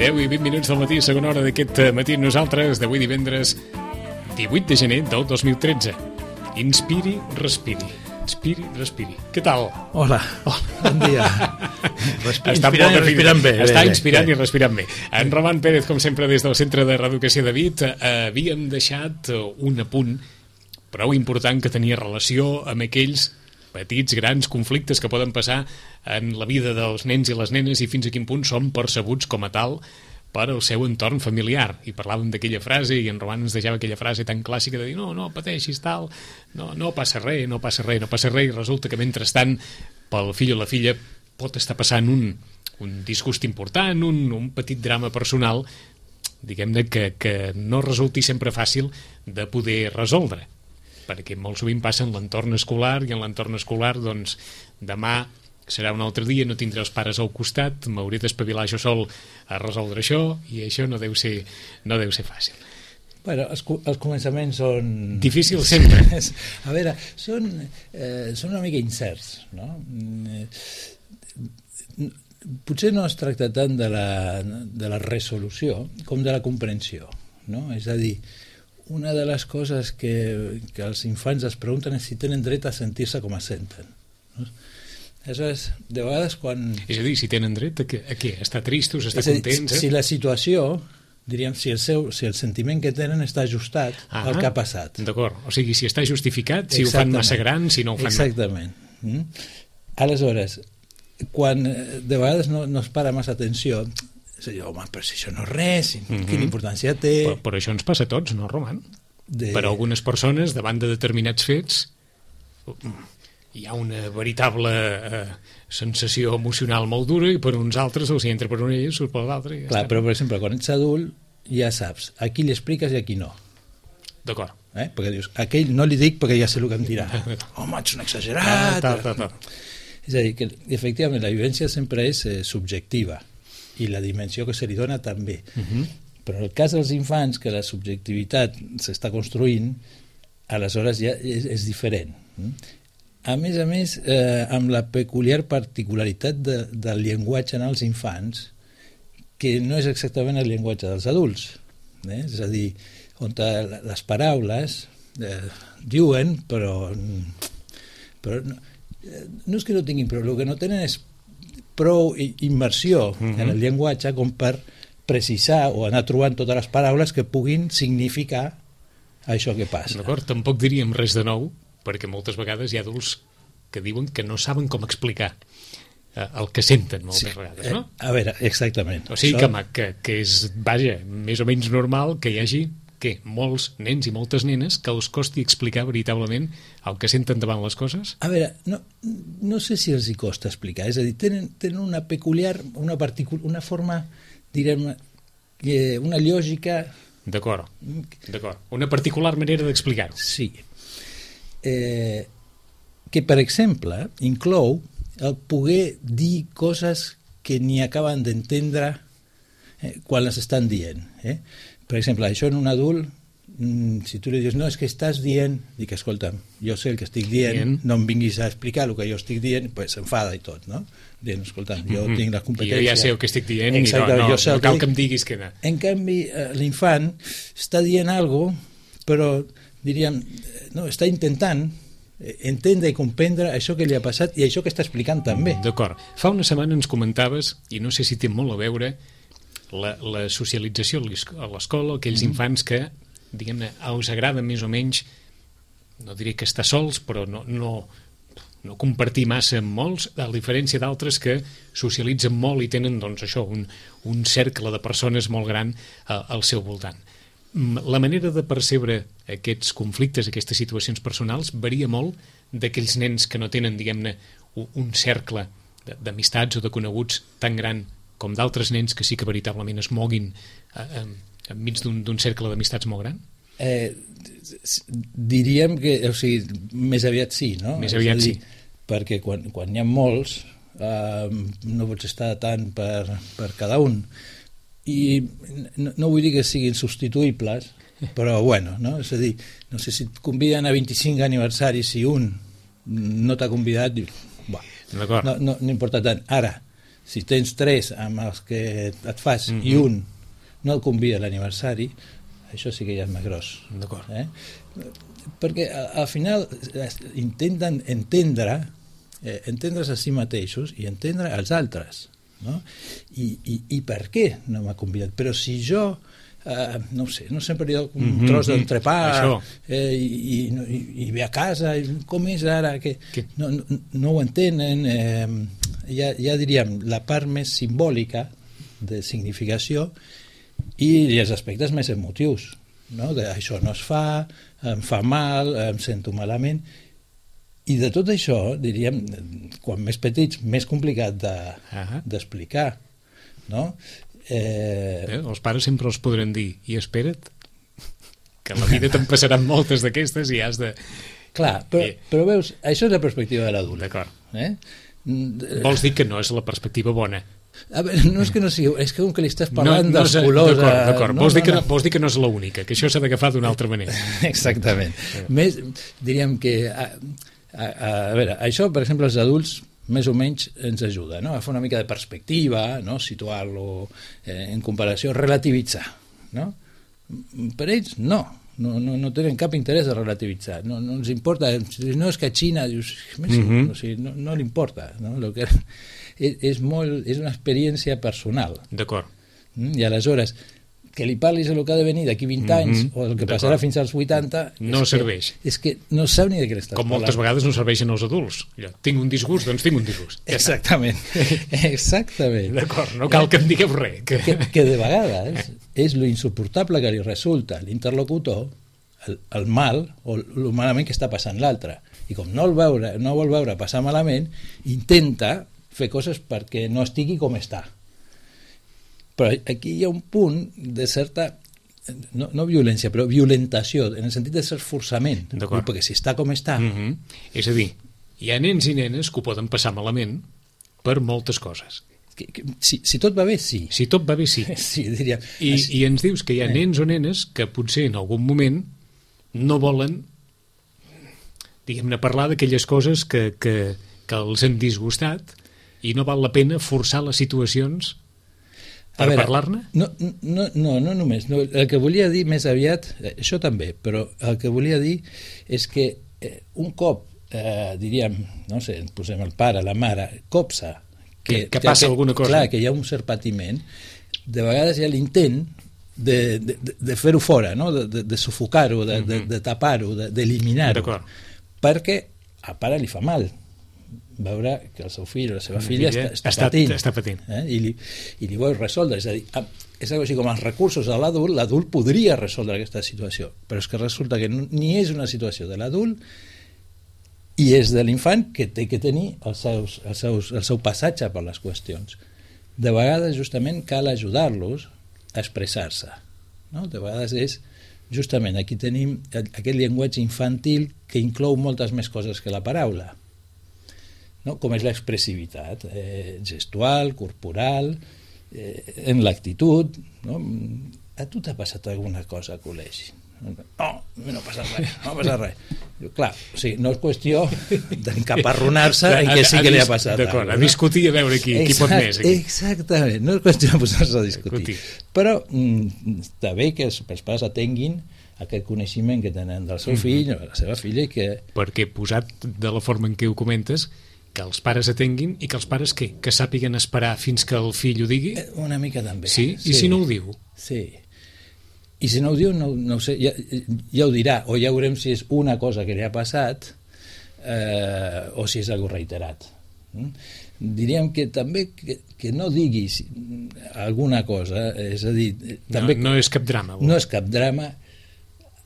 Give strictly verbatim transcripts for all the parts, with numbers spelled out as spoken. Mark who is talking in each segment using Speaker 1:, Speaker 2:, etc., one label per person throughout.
Speaker 1: deu i vint minuts del matí, segona hora d'aquest matí. Nosaltres, d'avui divendres divuit de gener del dos mil tretze. Inspiri, respiri. Inspiri, respiri. Què tal?
Speaker 2: Hola,
Speaker 1: oh.
Speaker 2: bon dia.
Speaker 1: Està
Speaker 2: inspirant i respirant bé.
Speaker 1: Està
Speaker 2: bé,
Speaker 1: inspirant
Speaker 2: bé.
Speaker 1: i respirant bé. En Roman Pérez, com sempre, des del Centre de Reeducació de Vic, havíem deixat un apunt prou important que tenia relació amb aquells petits, grans conflictes que poden passar en la vida dels nens i les nenes i fins a quin punt són percebuts com a tal per al seu entorn familiar. I parlàvem d'aquella frase, i en Roman ens deixava aquella frase tan clàssica de dir no, no pateixis, tal, no, no passa res, no passa res, no passa res, i resulta que mentrestant pel fill o la filla pot estar passant un, un disgust important, un, un petit drama personal, diguem-ne que, que no resulti sempre fàcil de poder resoldre, perquè molt sovint passa en l'entorn escolar, i en l'entorn escolar, doncs, demà serà un altre dia, no tindré els pares al costat, m'hauré d'espavilar jo sol a resoldre això, i això no deu ser, no deu ser fàcil.
Speaker 2: Bueno, els, els començaments són...
Speaker 1: Difícils sempre.
Speaker 2: A veure, són, eh, són una mica incerts, no? Potser no es tracta tant de la, de la resolució com de la comprensió, no? És a dir, una de les coses que, que els infants es pregunten és si tenen dret a sentir-se com es senten, no? Aleshores, de vegades quan...
Speaker 1: És a dir, si tenen dret a què? A què? Estar tristos, estar
Speaker 2: dir,
Speaker 1: contents? Eh?
Speaker 2: Si la situació, diríem, si el, seu, si el sentiment que tenen està ajustat ah, al que ha passat.
Speaker 1: D'acord, o sigui, si està justificat, si Exactament. Ho fan massa gran, si no ho fan...
Speaker 2: Exactament. Mm? Aleshores, quan de vegades no, no es para massa atenció, és a dir, home, però si això no és res, mm-hmm. quina importància té...
Speaker 1: Però, però això ens passa a tots, no, Roman?
Speaker 2: De...
Speaker 1: Per a algunes persones, davant de determinats fets... hi ha una veritable eh, sensació emocional molt dura, i per uns altres els hi entra per una i surt per l'altra. Ja
Speaker 2: Clar,
Speaker 1: està.
Speaker 2: Però per exemple, quan ets adult ja saps a qui li expliques i a qui no.
Speaker 1: D'acord.
Speaker 2: Eh? Perquè dius, a aquell no li dic perquè ja sé el que em dirà. Home, ets un exagerat.
Speaker 1: Ta, ta, ta, ta.
Speaker 2: És a dir, que efectivament la vivència sempre és eh, subjectiva, i la dimensió que se li dona també. Uh-huh. Però en el cas dels infants, que la subjectivitat s'està construint, aleshores ja és, és diferent. A més a més, eh, amb la peculiar particularitat de, del llenguatge en els infants, que no és exactament el llenguatge dels adults. Eh? És a dir, on les paraules eh, diuen, però, però no, no és que no tinguin, però el que no tenen és prou immersió mm-hmm. en el llenguatge com per precisar o anar trobant totes les paraules que puguin significar això que passa.
Speaker 1: D'acord, tampoc diríem res de nou, perquè moltes vegades hi ha adults que diuen que no saben com explicar eh, el que senten moltes sí, vegades, no?
Speaker 2: A veure, exactament.
Speaker 1: O sigui Això... que, que és, vaja, més o menys normal que hi hagi que molts nens i moltes nenes que els costi explicar veritablement el que senten davant les coses?
Speaker 2: A veure, no, no sé si els hi costa explicar, és a dir, tenen, tenen una peculiar, una, particular, una forma, direm, eh, una lògica...
Speaker 1: D'acord, d'acord. Una particular manera d'explicar-ho.
Speaker 2: Sí. Eh, que, per exemple, inclou el poder dir coses que ni acaben d'entendre eh, quan les estan dient. Eh? Per exemple, això en un adult, mm, si tu li dius, no, és que estàs dient, dic, escolta'm, jo sé el que estic dient, Bien. no em vinguis a explicar el que jo estic dient, pues s'enfada i tot, no? Dient, escolta'm, jo mm-hmm. tinc les competències...
Speaker 1: Jo ja sé el que estic dient,
Speaker 2: Exacte,
Speaker 1: i no, no,
Speaker 2: no,
Speaker 1: no cal que em diguis que no.
Speaker 2: En canvi, l'infant està dient alguna cosa, però diríem, no, està intentant entendre i comprendre això que li ha passat i això que està explicant també.
Speaker 1: D'acord. Fa una setmana ens comentaves, i no sé si té molt a veure, la, la socialització a l'escola, aquells mm. infants que, diguem-ne, els agrada més o menys, no diré que estar sols, però no, no, no compartir massa amb molts, a diferència d'altres que socialitzen molt i tenen, doncs, això, un, un cercle de persones molt gran a, al seu voltant. La manera de percebre aquests conflictes, aquestes situacions personals, varia molt d'aquells nens que no tenen, diguem-ne, un cercle d'amistats o de coneguts tan gran com d'altres nens que sí que veritablement es moguin eh, enmig d'un cercle d'amistats molt gran?
Speaker 2: Eh, diríem que, o sigui, més aviat sí, no?
Speaker 1: Més aviat dir, sí.
Speaker 2: Perquè quan, quan hi ha molts, eh, no pots estar tant per, per cada un. I no, no vull dir que siguin substituïbles, però bueno, no? És a dir, no sé si et conviden a vint-i-cinc aniversaris, si un no t'ha convidat, dius, no, no, no importa tant. Ara, si tens tres amb els que et fas mm-hmm. i un no el convida a l'aniversari, això sí que ja és més gros.
Speaker 1: D'acord.
Speaker 2: Eh? Perquè al final intenten entendre eh, entendre's a si mateixos i entendre els altres, no? I, i, i per què no m'ha convidat? Però si jo eh, no ho sé, no sempre hi ha un mm-hmm, tros d'entrepà eh, i, i, i ve a casa, com és ara que no, no, no ho entenen, eh, ja, ja diríem la part més simbòlica de significació i els aspectes més emotius, no? De, això no es fa, em fa mal, em sento malament. I de tot això, diríem, quan més petits, més complicat de, uh-huh. d'explicar, no? Eh...
Speaker 1: Eh, els pares sempre els podran dir, i espera't, que a la vida te'n passaran moltes d'aquestes i has de...
Speaker 2: Clar, però, eh... però veus, això és la perspectiva de l'adult.
Speaker 1: D'acord.
Speaker 2: Eh?
Speaker 1: Vols dir que no és la perspectiva bona?
Speaker 2: A veure, no és que no sigui, és que com que li estàs parlant no, no dels
Speaker 1: sé,
Speaker 2: colors...
Speaker 1: D'acord, d'acord.
Speaker 2: No,
Speaker 1: vols,
Speaker 2: no,
Speaker 1: dir que,
Speaker 2: no.
Speaker 1: vols dir que no és l'única, que això s'ha d'agafar d'una altra manera.
Speaker 2: Exactament. Sí. Més, diríem que... A, a, a veure, això, per exemple, els adults més o menys ens ajuda, no? A fer una mica de perspectiva, no? Situar-lo eh, en comparació, relativitzar, no? Per ells, no. No, no, no tenen cap interès a relativitzar, no, no els importa, no és que a Xina dius, mm-hmm. o sigui, no, no li importa, no? Lo que és, és, molt, és una experiència personal.
Speaker 1: D'acord.
Speaker 2: I aleshores, que li parlis el que ha de venir d'aquí vint mm-hmm. anys o el que passarà fins als vuitanta
Speaker 1: no
Speaker 2: és
Speaker 1: serveix.
Speaker 2: Que, és que no sap ni de què estàs
Speaker 1: com
Speaker 2: parlant.
Speaker 1: Moltes vegades no serveixen els adults. Jo, tinc un disgust, doncs tinc un disgust. Ja
Speaker 2: exactament. Exactament.
Speaker 1: D'acord, no cal que em digueu res.
Speaker 2: Que, que, que de vegades és lo insuportable que li resulta a l'interlocutor el, el mal o el malament que està passant l'altre. I com no el veure, no vol veure passar malament, intenta fer coses perquè no estigui com està. Però aquí hi ha un punt de certa, no, no violència, però violentació, en el sentit de ser forçament, perquè si està com està...
Speaker 1: Mm-hmm. És a dir, hi ha nens i nenes que ho poden passar malament per moltes coses.
Speaker 2: Que, que, si, si tot va bé, sí.
Speaker 1: Si tot va bé, sí.
Speaker 2: Sí, diria.
Speaker 1: I, I ens dius que hi ha eh. nens o nenes que potser en algun moment no volen, diguem-ne, parlar d'aquelles coses que, que, que els han disgustat i no val la pena forçar les situacions per parlar-ne?
Speaker 2: No, no, no, no només. No, el que volia dir més aviat, això també, però el que volia dir és que eh, un cop, eh, diríem, no sé, posem el pare, la mare, copsa, que,
Speaker 1: que, que passa
Speaker 2: que,
Speaker 1: alguna cosa.
Speaker 2: Clar, que hi ha un cert patiment, de vegades hi ha l'intent de, de, de fer-ho fora, no? de, de, de sufocar-ho, de, de, de tapar-ho, d'eliminar-ho, de, perquè al pare li fa mal veure que el seu fill o la seva filla, filla està, està, està patint,
Speaker 1: està patint.
Speaker 2: Eh? I, li, i li vol resoldre, és a dir, és així com els recursos de l'adult, l'adult podria resoldre aquesta situació, però és que resulta que no, ni és una situació de l'adult i és de l'infant que té que tenir els seus, els seus, el seu passatge per les qüestions. De vegades justament cal ajudar-los a expressar-se, no? De vegades és justament aquí tenim aquest llenguatge infantil que inclou moltes més coses que la paraula, no? Com és l'expressivitat eh, gestual, corporal, eh, en l'actitud, no? A tu t'ha passat alguna cosa a col·legi? No, no ha passat res, no ha passat res. Diu, clar, o sigui, no és qüestió d'encaparronar-se en què sí que li ha passat.
Speaker 1: D'acord, a discutir, a veure qui, qui pot més. Aquí.
Speaker 2: Exactament, no és qüestió de posar-se a discutir. Però mm, està bé que els, els pares atenguin aquest coneixement que tenen del seu fill o de la seva filla i que...
Speaker 1: Perquè posat de la forma en què ho comentes, que els pares atenguin i que els pares què? Que sàpiguen esperar fins que el fill ho digui?
Speaker 2: Una mica també.
Speaker 1: Sí? I sí. Si no ho diu?
Speaker 2: Sí. I si no ho diu, no, no ho sé, ja, ja ho dirà, o ja veurem si és una cosa que li ha passat eh, o si és algo reiterat. Mm? Diríem que també que, que no diguis alguna cosa, és a dir... També
Speaker 1: no, no és cap drama.
Speaker 2: No és cap drama.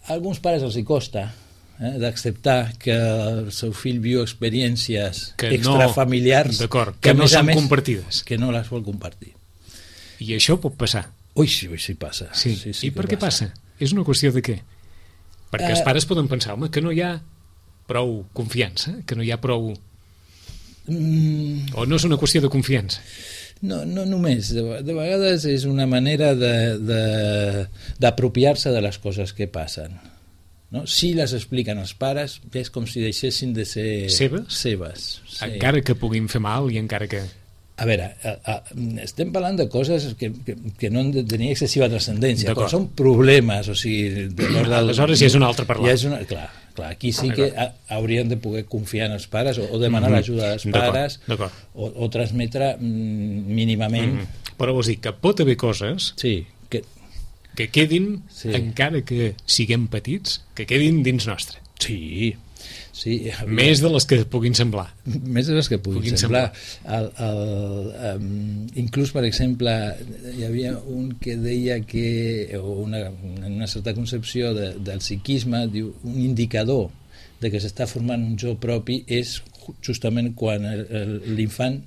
Speaker 2: A alguns pares els hi costa eh, d'acceptar que el seu fill viu experiències que extrafamiliars
Speaker 1: no, que, que no són
Speaker 2: més,
Speaker 1: compartides.
Speaker 2: Que no les vol compartir.
Speaker 1: I això pot passar.
Speaker 2: Ui, sí, ui, sí passa.
Speaker 1: Sí.
Speaker 2: Sí, sí
Speaker 1: I per què passa? És una qüestió de què? Perquè uh, els pares poden pensar, home, que no hi ha prou confiança, que no hi ha prou... Mm, o no és una qüestió de confiança?
Speaker 2: No, no només. De, de vegades és una manera d'apropiar-se de, de, de les coses que passen. No? Si les expliquen els pares, és com si deixessin de ser
Speaker 1: seves,
Speaker 2: seves
Speaker 1: sí. Encara que puguin fer mal i encara que...
Speaker 2: A veure, a, a, estem parlant de coses que, que, que no han de tenir excessiva transcendència, però són problemes, o sigui... De
Speaker 1: aleshores ja és un altre parlar.
Speaker 2: Ja és una, clar, clar, aquí sí que ha, haurien de poder confiar en els pares o, o demanar mm-hmm. l'ajuda dels pares o, o transmetre mm, mínimament...
Speaker 1: Mm-hmm. Però vols dir que pot haver coses
Speaker 2: sí, que...
Speaker 1: que quedin, sí. encara que siguem petits, que quedin dins nostre.
Speaker 2: Sí, sí,
Speaker 1: més de les que puguin semblar
Speaker 2: més de les que puguin, puguin semblar, semblar. El, el, um, inclús per exemple hi havia un que deia que o una, una certa concepció de, del psiquisme, diu, un indicador de que s'està formant un jo propi és justament quan l'infant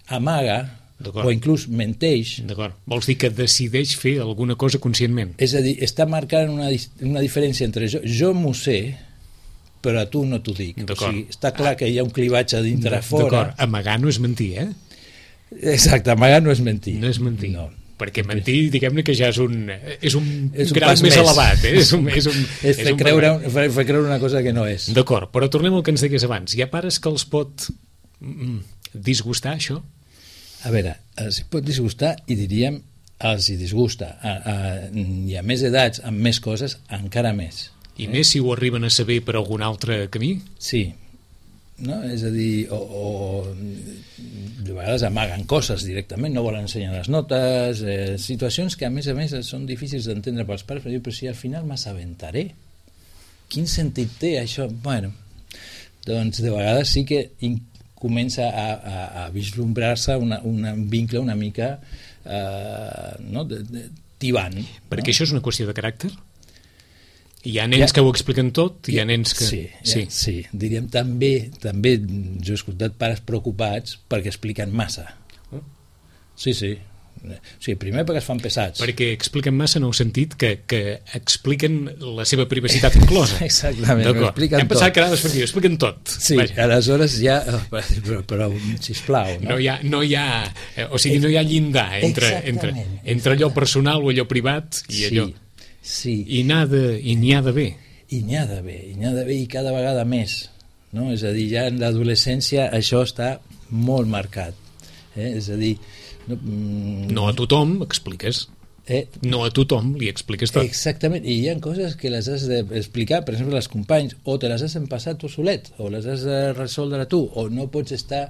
Speaker 2: amaga o inclús menteix.
Speaker 1: D'acord. Vols dir que decideix fer alguna cosa conscientment?
Speaker 2: És a dir, està marcant una, una diferència entre jo, jo m'ho sé però a tu no t'ho dic. O sigui, està clar que hi ha un clivatge dintre fora.
Speaker 1: D'acord, amagar no és mentir, eh?
Speaker 2: Exacte, amagar no és mentir.
Speaker 1: No és mentir. No. Perquè mentir, diguem-ne que ja és un, és un,
Speaker 2: és un
Speaker 1: grau més, més elevat. Eh? És, un, és, un,
Speaker 2: és, fer, és creure, un, fer, fer creure una cosa que no és.
Speaker 1: D'acord, però tornem al que ens deies abans. Hi ha pares que els pot mm, disgustar, això?
Speaker 2: A veure, els pot disgustar i diríem els hi disgusta. A, a, hi ha més edats, amb més coses, encara més.
Speaker 1: I eh? més si ho arriben a saber per algun altre camí?
Speaker 2: Sí, no? És a dir, o, o de vegades amaguen coses directament, no volen ensenyar les notes, eh, situacions que a més a més són difícils d'entendre pels pares, però diu, però si al final m'assabentaré, quin sentit té això? Bueno, doncs de vegades sí que in, comença a, a, a vislumbrar-se una, una, un vincle una mica eh, no? de, de, tibant.
Speaker 1: Perquè
Speaker 2: no?
Speaker 1: Això és una qüestió de caràcter? Hi ha nens ja, que ho expliquen tot, hi ha nens que...
Speaker 2: Sí, sí. Ja, sí. Diríem també, també jo he escoltat pares preocupats perquè expliquen massa. Oh. Sí, sí. O sigui, primer perquè es fan pesats.
Speaker 1: Perquè expliquen massa en el sentit que, que expliquen la seva privacitat inclosa.
Speaker 2: Exactament, ho expliquen
Speaker 1: Hem pensat que ara ho expliquen tot.
Speaker 2: Sí, Vaja. Aleshores ja... Però, però sisplau, no?
Speaker 1: No hi ha, no hi ha, o sigui, no hi ha llindar entre, entre, entre allò personal o allò privat i
Speaker 2: sí.
Speaker 1: allò...
Speaker 2: Sí.
Speaker 1: I n'hi ha d'haver.
Speaker 2: I n'hi ha d'haver, i n'hi ha d'haver i cada vegada més. No? És a dir, ja en l'adolescència això està molt marcat. Eh? És a dir...
Speaker 1: No, mm... no a tothom expliques. Eh? No a tothom li expliques tot.
Speaker 2: Exactament, i hi ha coses que les has d'explicar, per exemple, als companys, o te les has empassat tu solet, o les has de resoldre tu, o no pots estar...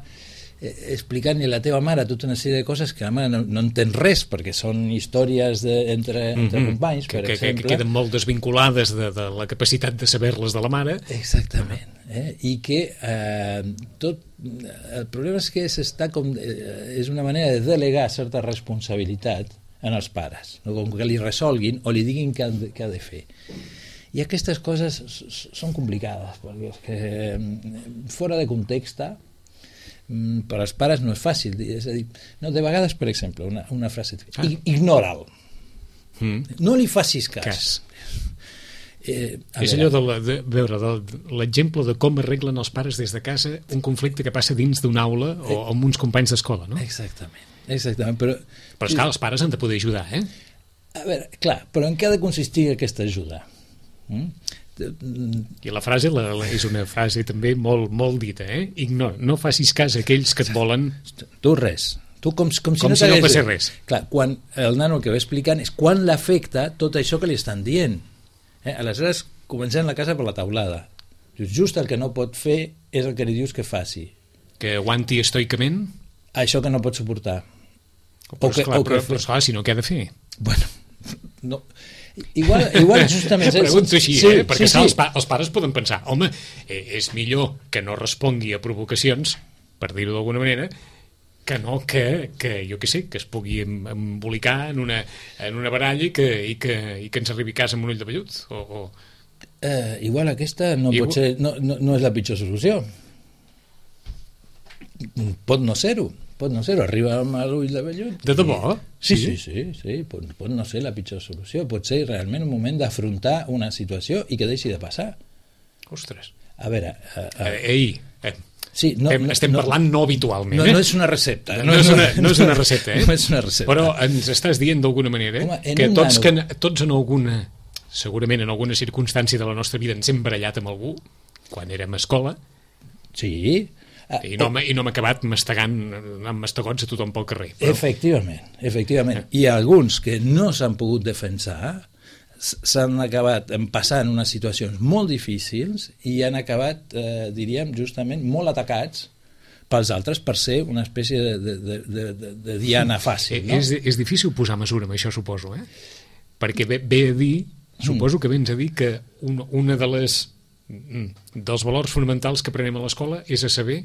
Speaker 2: explicant-li a la teva mare tota una sèrie de coses que la mare no, no entén res perquè són històries de, entre, entre mm-hmm. companys, per
Speaker 1: que,
Speaker 2: exemple.
Speaker 1: Que, que queden molt desvinculades de, de la capacitat de saber-les de la mare.
Speaker 2: Exactament. Eh? I que eh, tot... El problema és que s'està com... Eh, és una manera de delegar certa responsabilitat en els pares, no? Com que li resolguin o li diguin què ha de, què ha de fer. I aquestes coses són complicades perquè és que fora de context per als pares no és fàcil, és a dir, no, de vegades, per exemple, una, una frase ah. ignora'l, mm. no li facis cas, cas.
Speaker 1: Eh, és allò de, la, de veure de l'exemple de com arreglen els pares des de casa un conflicte que passa dins d'una aula o amb uns companys d'escola, no?
Speaker 2: Exactament, exactament, però...
Speaker 1: Però esclar, els pares han de poder ajudar, eh?
Speaker 2: A veure, clar, però en què ha de consistir aquesta ajuda? Mm?
Speaker 1: I la frase la, la, és una frase també molt, molt dita, eh? Ignor, no facis cas a aquells que et volen...
Speaker 2: Tu res, tu com, com si
Speaker 1: com
Speaker 2: no,
Speaker 1: si no passés res.
Speaker 2: Clar, quan el nano el que va explicant és quan l'afecta tot això que li estan dient. Eh? Aleshores comencem la casa per la taulada. Just el que no pot fer és el que li dius que faci.
Speaker 1: Que aguanti estoicament?
Speaker 2: Això que no pot suportar.
Speaker 1: Però, o que, esclar, o però, que però esclar, si no, què ha de fer?
Speaker 2: Bueno, no... Igual, igual justament...
Speaker 1: Pregunto així, sí, eh? Perquè sí, sí. Els, pa els pares poden pensar, home, eh, és millor que no respongui a provocacions, per dir-ho d'alguna manera, que no que, que jo què sé, que es pugui embolicar en una, en una baralla i que, i, que, i que ens arribi a casa amb un ull de vellut. O, o...
Speaker 2: Eh, igual aquesta no, igual... pot ser, no, no, no és la pitjor solució. Pot no ser-ho. Pot no ser-ho, arriba amb l'ull de vellut.
Speaker 1: De debò?
Speaker 2: Sí, sí, sí, sí. Pot, pot no ser la pitjor solució. Pot ser realment un moment d'afrontar una situació i que deixi de passar.
Speaker 1: Ostres.
Speaker 2: A veure... Uh, uh,
Speaker 1: eh, ei, eh,
Speaker 2: sí, no,
Speaker 1: estem, estem no, parlant no habitualment.
Speaker 2: No,
Speaker 1: eh?
Speaker 2: no és una recepta.
Speaker 1: No, no, és, una, no és una recepta, eh?
Speaker 2: No és una recepta.
Speaker 1: Però ens estàs dient d'alguna manera eh? Home, que, tots, que tots en alguna, segurament en alguna circumstància de la nostra vida ens hem barallat amb algú, quan érem a escola.
Speaker 2: Sí.
Speaker 1: I no, i no hem acabat mastegant amb mastegots a tothom pel carrer. Però...
Speaker 2: Efectivament, efectivament. I alguns que no s'han pogut defensar s'han acabat passant unes situacions molt difícils i han acabat, eh, diríem, justament molt atacats pels altres per ser una espècie de, de, de, de, de diana fàcil. No?
Speaker 1: És, és difícil posar mesura amb això, suposo, eh? Perquè ve, ve a dir, suposo que vens a dir que un, una de les dels valors fonamentals que aprenem a l'escola és a saber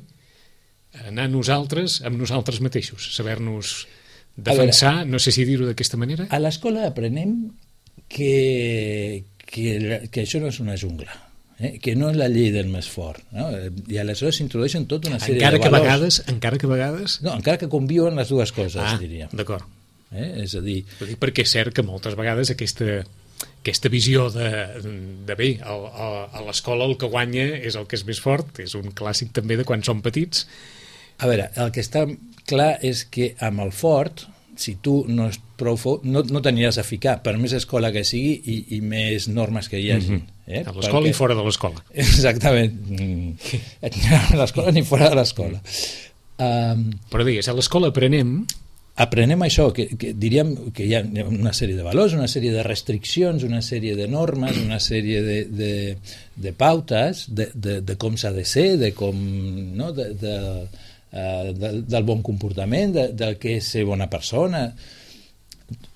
Speaker 1: anar nosaltres amb nosaltres mateixos, saber-nos defensar, veure, no sé si dir-ho d'aquesta manera.
Speaker 2: A l'escola aprenem que, que, que això no és una jungla, eh? Que no és la llei del més fort, no? I aleshores s'introdueixen tota una sèrie
Speaker 1: encara
Speaker 2: de
Speaker 1: que
Speaker 2: valors.
Speaker 1: Vegades, encara que a vegades...
Speaker 2: No, encara que conviuen les dues coses,
Speaker 1: ah,
Speaker 2: diríem.
Speaker 1: D'acord.
Speaker 2: Eh? És a dir...
Speaker 1: Perquè és cert que moltes vegades aquesta... aquesta visió de, de bé, a, a, a l'escola el que guanya és el que és més fort, és un clàssic també de quan som petits.
Speaker 2: A veure, el que està clar és que amb el fort, si tu no és prou fort, no, no t'aniràs a ficar, per més escola que sigui i, i més normes que hi hagi.
Speaker 1: Mm-hmm.
Speaker 2: eh?
Speaker 1: A l'escola Perquè... i fora de l'escola.
Speaker 2: Exactament. Ni a l'escola ni fora de l'escola. Um,
Speaker 1: Però digues, a l'escola aprenem...
Speaker 2: aprenem això, que, que diríem que hi ha una sèrie de valors, una sèrie de restriccions, una sèrie de normes, una sèrie de, de, de pautes de, de, de com s'ha de ser, de com, no? de, de, uh, de, del bon comportament, de, del que és ser bona persona.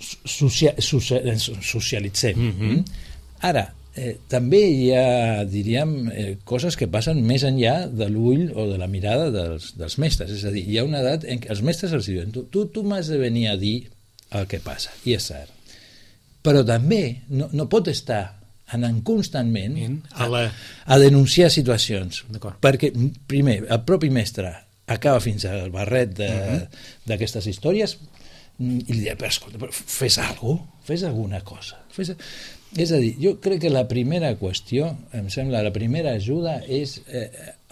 Speaker 2: Socia, socia, socialitzem. Mm-hmm. Ara, Eh, també hi ha, diríem, eh, coses que passen més enllà de l'ull o de la mirada dels, dels mestres. És a dir, hi ha una edat en què els mestres els diuen tu, tu, tu m'has de venir a dir el que passa, i és cert. Però també no, no pot estar anant constantment a, la... a denunciar situacions. Perquè, primer, el propi mestre acaba fins al barret d'aquestes uh-huh. històries i li diu, però escolta, però fes alguna cosa, fes alguna cosa. Fes... És a dir, jo crec que la primera qüestió, em sembla, la primera ajuda és eh,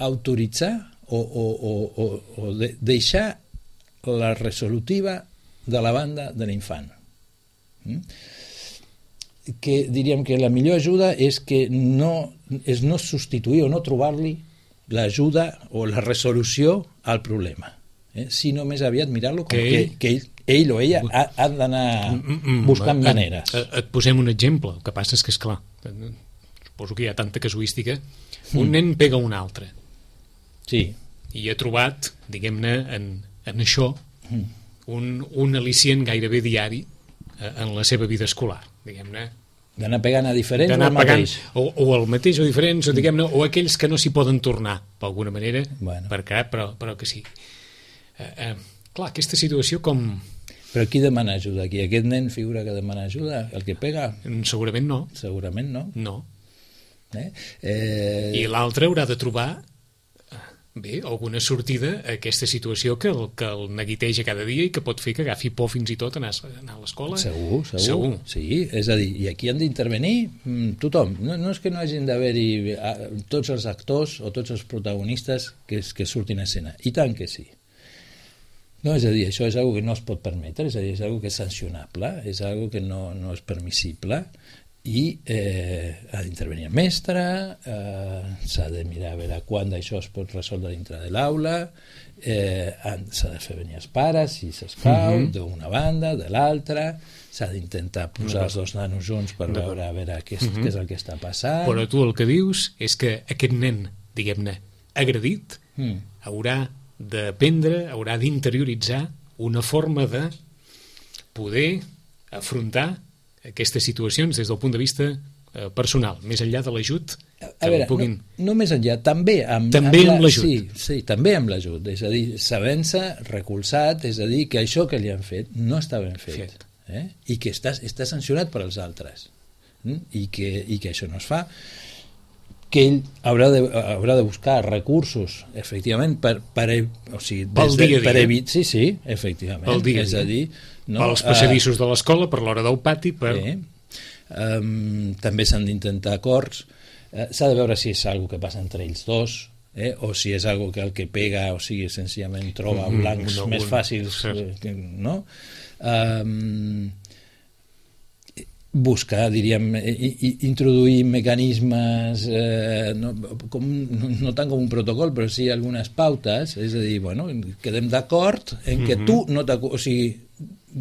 Speaker 2: autoritzar o, o, o, o, o de, deixar la resolutiva de la banda de l'infant. Mm? Que diríem que la millor ajuda és que no, és no substituir o no trobar-li l'ajuda o la resolució al problema, eh? Sinó més aviat mirar-lo com que, que ell ell o ella ha, ha d'anar buscant
Speaker 1: et,
Speaker 2: maneres.
Speaker 1: Et, et posem un exemple. El que passa és que, esclar, suposo que hi ha tanta casuística. Un mm. nen pega un altre.
Speaker 2: Sí.
Speaker 1: I ha trobat, diguem-ne, en, en això, mm. un, un al·licient gairebé diari en la seva vida escolar, diguem-ne.
Speaker 2: D'anar pegant a diferents o al mateix?
Speaker 1: O, o el mateix o diferents, o, diguem-ne, o aquells que no s'hi poden tornar, d'alguna manera,
Speaker 2: bueno.
Speaker 1: per cap, però, però que sí. Eh, eh, clar, aquesta situació com...
Speaker 2: Però qui demana ajuda aquí? Aquest nen figura que demana ajuda? El que pega?
Speaker 1: Segurament no.
Speaker 2: Segurament no.
Speaker 1: No.
Speaker 2: Eh? Eh...
Speaker 1: I l'altre haurà de trobar bé, alguna sortida a aquesta situació que el, que el neguiteja cada dia i que pot fer que agafi por fins i tot anar, anar a l'escola.
Speaker 2: Segur, segur,
Speaker 1: segur.
Speaker 2: Sí, és a dir, i aquí han d'intervenir tothom. No, no és que no hagin d'haver-hi tots els actors o tots els protagonistes que, que surtin a escena. I tant que sí. No, és a dir, això és una que no es pot permetre, és a dir, és una que és sancionable, és una que no, no és permissible i eh, ha d'intervenir el mestre, eh, s'ha de mirar a veure quan d'això es pot resoldre dintre de l'aula, eh, s'ha de fer venir els pares, si s'escau, mm-hmm. d'una banda, de l'altra, s'ha d'intentar posar els dos nanos junts per veure, a veure què és, mm-hmm. què és el que està passant.
Speaker 1: Però tu el que dius és que aquest nen, diguem-ne, agredit, mm. haurà d'aprendre, haurà d'interioritzar una forma de poder afrontar aquestes situacions des del punt de vista eh, personal, més enllà de l'ajut que
Speaker 2: a veure,
Speaker 1: puguin...
Speaker 2: no, no més enllà, també amb,
Speaker 1: també amb,
Speaker 2: amb
Speaker 1: l'ajut.
Speaker 2: Sí, sí, també amb l'ajut, és a dir, sabent-se recolzat, és a dir, que això que li han fet no està ben fet, fet. Eh? I que està, està sancionat per als altres, mm? I, que, i que això no es fa, que ell haurà de, haurà de buscar recursos, efectivament, per, per, o sigui, des de, per evitar... Sí, sí, efectivament.
Speaker 1: Pel dia,
Speaker 2: és a dir...
Speaker 1: No, pels passadissos uh, de l'escola, per l'hora del pati, per...
Speaker 2: Sí. Um, també s'han d'intentar acords. Uh, s'ha de veure si és algo que passa entre ells dos, eh? O si és algo que el que pega, o sigui, senzillament troba mm, blancs no, més un, fàcils, eh, no? Um, buscar, diríem, i, i, introduir mecanismes, eh, no, com, no, no tant com un protocol, però sí algunes pautes, és a dir, bueno, quedem d'acord en que mm-hmm. tu no t'acostes, o sigui,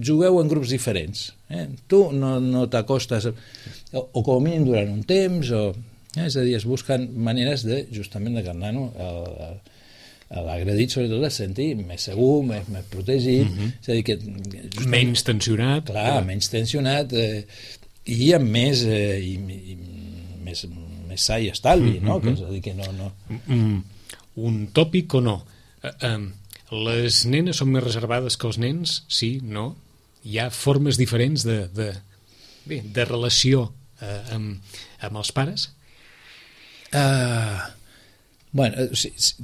Speaker 2: jugueu en grups diferents, eh? Tu no, no t'acostes, o, o com a mínim durant un temps, o, eh? És a dir, es busquen maneres de, justament, de que el nano, el, el, l'agredit sobretot es senti més segur, més, més protegit, mm-hmm. és a dir que
Speaker 1: justament, menys tensionat,
Speaker 2: clar, eh? menys tensionat, eh, i amb més eh, i, i, més, més sa i estalvi, mm-hmm. no? Que és a dir que no, no...
Speaker 1: Mm, un tòpic o no? Uh, um, les nenes són més reservades que els nens? Sí, no? Hi ha formes diferents de, de, bé, de relació uh, amb, amb els pares?
Speaker 2: Uh, bueno, sí, sí,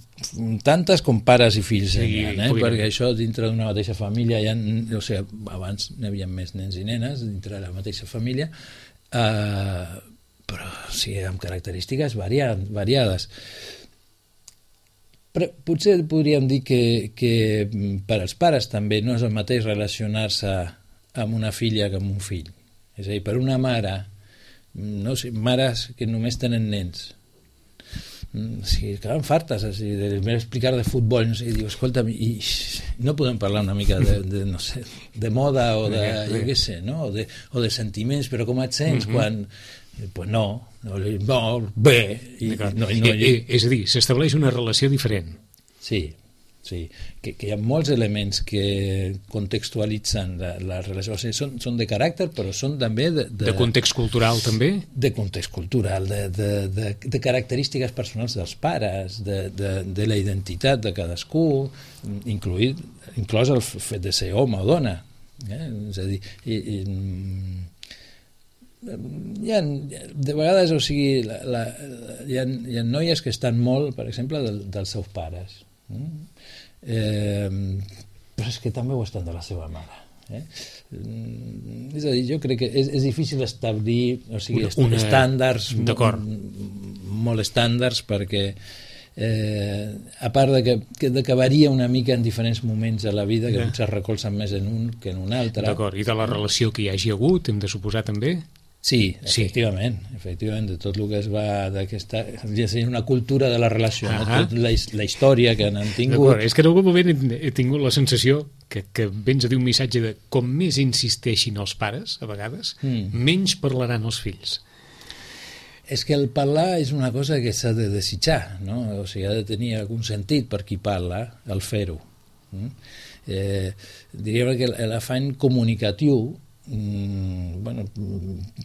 Speaker 2: tantes com pares i fills, sí, ha, eh? Perquè això dintre d'una mateixa família hi ha, o sigui, abans n'hi havia més nens i nenes dintre de la mateixa família, uh, però sí, amb característiques variat, variades. Però potser podríem dir que, que per als pares també no és el mateix relacionar-se amb una filla que amb un fill. És a dir, per una mare, no sé, mares que només tenen nens, sí, quedaven fartes així, de explicar de futbol, no sé, i diu, escolta'm, i no podem parlar una mica de, de, no sé, de moda o de, jo què sé, no? O de, o de sentiments, però com et sents quan... Pues no, no, no bé. I, no, i no,
Speaker 1: I, és a dir, s'estableix una relació diferent.
Speaker 2: Sí, sí, que, que hi ha molts elements que contextualitzen la, la relació, o sigui, són, són de caràcter, però són també de...
Speaker 1: De, de context cultural, també?
Speaker 2: De context cultural, de, de, de, de característiques personals dels pares, de, de, de la identitat de cadascú, incluït, inclòs el fet de ser home o dona. Eh? És a dir, i, i, hi ha, de vegades, o sigui, la, la, hi, ha, hi ha noies que estan molt, per exemple, del, dels seus pares. Eh, però és que també ho estan de la seva mare. Eh? És a dir, jo crec que és, és difícil establir, o sigui, una, una, estàndards molt, molt estàndards, perquè eh, a part de que, que, de que varia una mica en diferents moments de la vida, que potser es recolzen més en un que en un altre.
Speaker 1: D'acord, i de la relació que hi hagi hagut, hem de suposar també?
Speaker 2: Sí, efectivament, sí. efectivament, de tot el que es va d'aquesta, ja sé, una cultura de la relació, uh-huh. no? Tot la, la història que han tingut.
Speaker 1: És que en algun moment he, he tingut la sensació que, que vens a dir un missatge de com més insisteixin els pares, a vegades, mm. menys parlaran els fills.
Speaker 2: És que el parlar és una cosa que s'ha de desitjar, no? O sigui, ha de tenir algun sentit per qui parla, el fer-ho. Mm? Eh, diríem que l'afany comunicatiu Mm, bueno,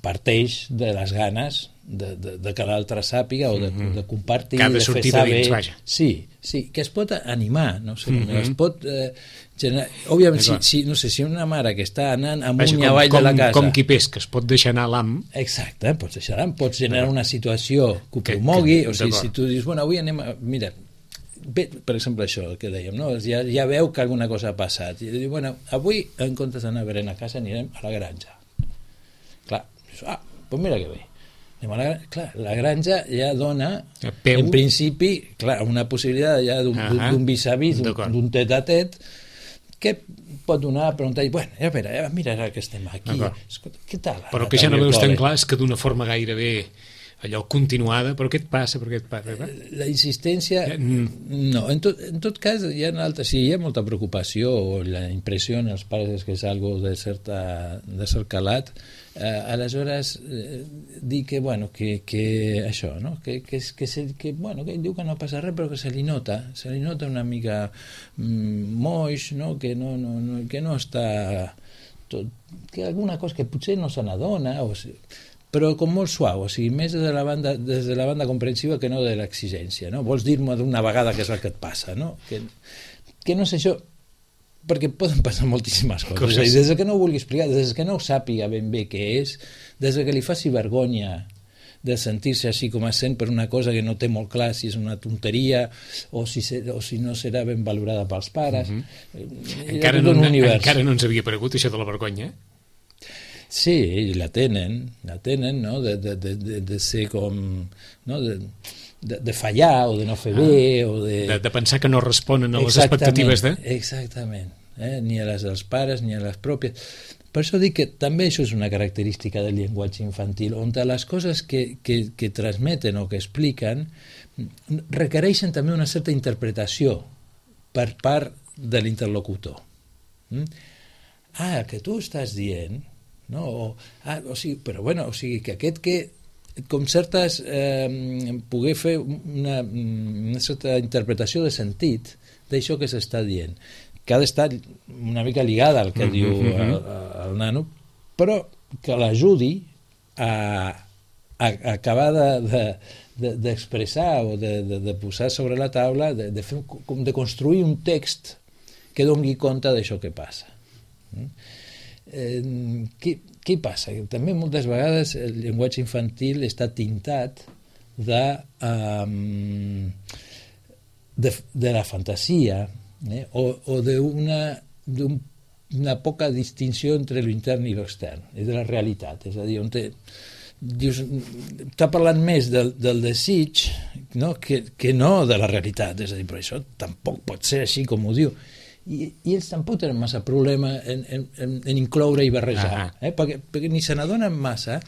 Speaker 2: parteix de les ganes de, de, de que l'altre sàpiga o de, mm-hmm. de compartir,
Speaker 1: que ha de,
Speaker 2: de
Speaker 1: sortir
Speaker 2: fer saber.
Speaker 1: De dins, vaja.
Speaker 2: Sí, sí, que es pot animar, no sé, mm-hmm. es pot eh, generar... Òbviament, si, si, no sé, si una mare que està anant amunt i avall de la casa...
Speaker 1: Com qui pesca, es pot deixar anar l'am...
Speaker 2: Exacte, pots deixar anar, pots generar una situació que ho promogui, o sigui, si tu dius, bueno, avui anem a... Mira, bé, per exemple, això que dèiem, no? ja, ja veu que alguna cosa ha passat i diu, bueno, avui en comptes d'anar a berenar a casa anirem a la granja. Clar, ah, doncs mira que bé, anem a la, clar, la granja ja dona en principi, clar, una possibilitat ja d'un, uh-huh. d'un vis-a-vis, d'un tet-a-tet que pot donar a preguntar, bueno, ja veure, ja mira que estem aquí, escolta, què tal?
Speaker 1: Però que ja no veus tan clar és que d'una forma gairebé allò continuada, però què et passa? Per què et passa?
Speaker 2: La insistència, no, en tot, en tot cas hi ha altres, sí, hi ha molta preocupació o la impressió en els pares és que és algo de, certa, de cert calat, eh, aleshores eh, dir que, bueno, que, que això, no? que, que, que, se, que, bueno, que ell diu que no passa res però que se li nota, se li nota una mica mm, moix, no? Que, no, no, no, que no està tot, que alguna cosa que potser no se n'adona o sigui, però com molt suau, o sigui, més des de la banda, des de la banda comprensiva que no de l'exigència, no? Vols dir-me d'una vegada què és el que et passa, no? Que, que no sé això, perquè poden passar moltíssimes coses, coses. Dir, des que no ho vulgui explicar, des que no ho sàpiga ben bé què és, des que li faci vergonya de sentir-se així com es sent per una cosa que no té molt clar si és una tonteria o si, se, o si no serà ben valorada pels pares.
Speaker 1: Mm-hmm. encara, no, encara no ens havia aparegut això de la vergonya, eh?
Speaker 2: Sí, la tenen, la tenen, no? De, de, de, de ser com... No? De, de, de fallar o de no fer bé ah, o de...
Speaker 1: de... De pensar que no responen a les expectatives de...
Speaker 2: Exactament, eh? Ni a les dels pares ni a les pròpies. Per això dic que també això és una característica del llenguatge infantil, on les coses que, que, que transmeten o que expliquen requereixen també una certa interpretació per part de l'interlocutor. Mm? Ah, que tu estàs dient, no? O, ah, o sigui, però bueno, o sigui, que aquest que com certes eh, poder fer una, una certa interpretació de sentit d'això que s'està dient, que ha d'estar una mica lligada al que mm-hmm. diu el, el nano, però que l'ajudi a, a, a acabar de, de, de, d'expressar o de, de, de posar sobre la taula, de, de, fer, de construir un text que doni compte d'això que passa. Mm? Eh, què, què passa? També moltes vegades el llenguatge infantil està tintat de, um, de, de la fantasia, eh? o, o d'una d'un, una poca distinció entre l'intern i l'extern, és de la realitat, és a dir, on te, dius, està parlant més del, del desig, no? Que, que no de la realitat, és a dir, però això tampoc pot ser així com ho diu. I, i ells tampoc tenen massa problema en, en, en incloure i barrejar, eh? perquè, perquè ni se n'adonen massa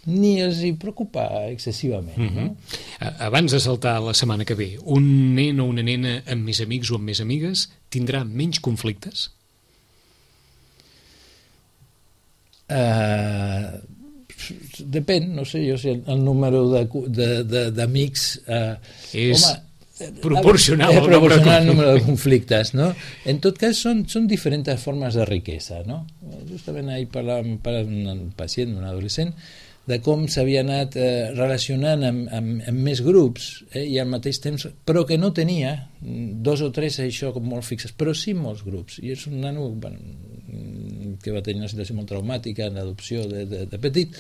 Speaker 2: ni els hi preocupa excessivament. Mm-hmm.
Speaker 1: No? Abans de saltar la setmana que ve, un nen o una nena amb més amics o amb més amigues tindrà menys conflictes?
Speaker 2: Uh, depèn, no sé jo si el, el número d'amics uh,
Speaker 1: és...
Speaker 2: home,
Speaker 1: proporcional,
Speaker 2: eh, proporcional al número de conflictes, no? En tot cas són, són diferents formes de riquesa, no? Justament ahir parlàvem amb un pacient, un adolescent, de com s'havia anat eh, relacionant amb, amb, amb més grups, eh, i al mateix temps, però que no tenia dos o tres això com molt fixes, però sí molts grups, i és un nano, bueno, que va tenir una situació molt traumàtica en l'adopció de, de, de petit,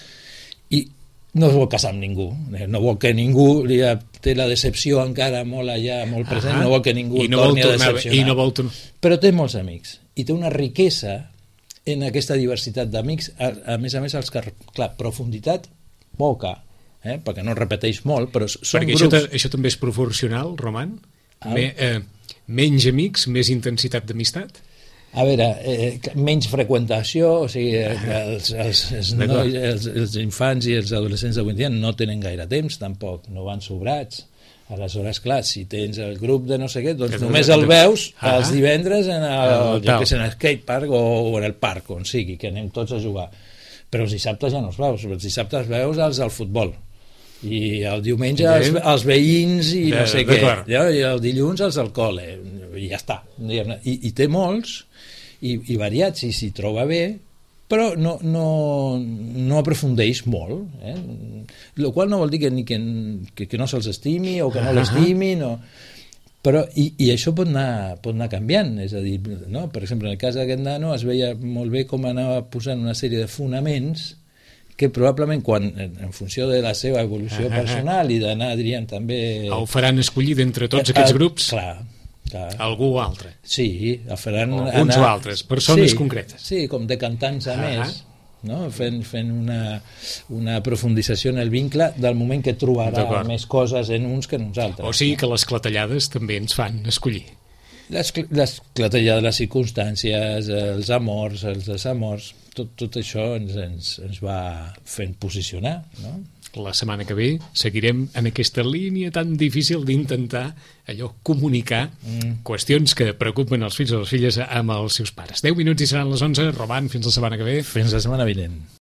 Speaker 2: i no es vol casar amb ningú, no vol que ningú li ha, té la decepció encara molt allà, molt present, ah, no vol que ningú
Speaker 1: no
Speaker 2: torni
Speaker 1: tornar,
Speaker 2: a decepcionar,
Speaker 1: i no vol tornar.
Speaker 2: Però té molts amics i té una riquesa en aquesta diversitat d'amics, a, a més a més els que, clar, profunditat poca, eh? Perquè no repeteix molt, però són
Speaker 1: perquè
Speaker 2: grups.
Speaker 1: Això, això també és proporcional, Roman? Ah. Me, eh, menys amics, més intensitat d'amistat?
Speaker 2: A veure, eh, menys freqüentació, o sigui, els, els, els, nois, els, els infants i els adolescents d'avui dia no tenen gaire temps, tampoc, no van sobrats. Aleshores, clar, si tens el grup de no sé què, doncs que només el veus ah, els divendres en el, el, jo que sé, en el skatepark o, o en el parc, on sigui, que anem tots a jugar. Però els dissabtes ja no els veus, els dissabtes veus els al futbol. I el diumenge els, els veïns i no sé què, i el dilluns els al col·le, i ja està. I, i té molts, i, i variats, i s'hi troba bé, però no, no, no aprofundeix molt, eh? El qual no vol dir que, ni que, que, que no se'ls estimi o que no l'estimi, no. Però, i, i això pot anar, pot anar canviant, és a dir, no? Per exemple, en el cas d'aquest nano es veia molt bé com anava posant una sèrie de fonaments que probablement quan, en funció de la seva evolució personal i d'anar, diríem, també...
Speaker 1: El faran escollir d'entre tots aquests grups?
Speaker 2: Clar, clar.
Speaker 1: Algú altre?
Speaker 2: Sí, el faran...
Speaker 1: O uns anar... o altres, persones
Speaker 2: sí,
Speaker 1: concretes.
Speaker 2: Sí, com decantant-se uh -huh. més, no? fent, fent una, una aprofundització en el vincle del moment que trobarà més coses en uns que en uns altres.
Speaker 1: O sigui que les clatellades també ens fan escollir.
Speaker 2: Les, les clatellades, les circumstàncies, els amors, els desamors, tot, tot això ens, ens, ens va fent posicionar, no?
Speaker 1: La setmana que ve seguirem en aquesta línia tan difícil d'intentar allò comunicar mm. qüestions que preocupen els fills o les filles amb els seus pares. deu minuts i seran les onze. Roman, fins la setmana que ve.
Speaker 2: Fins la setmana vinent.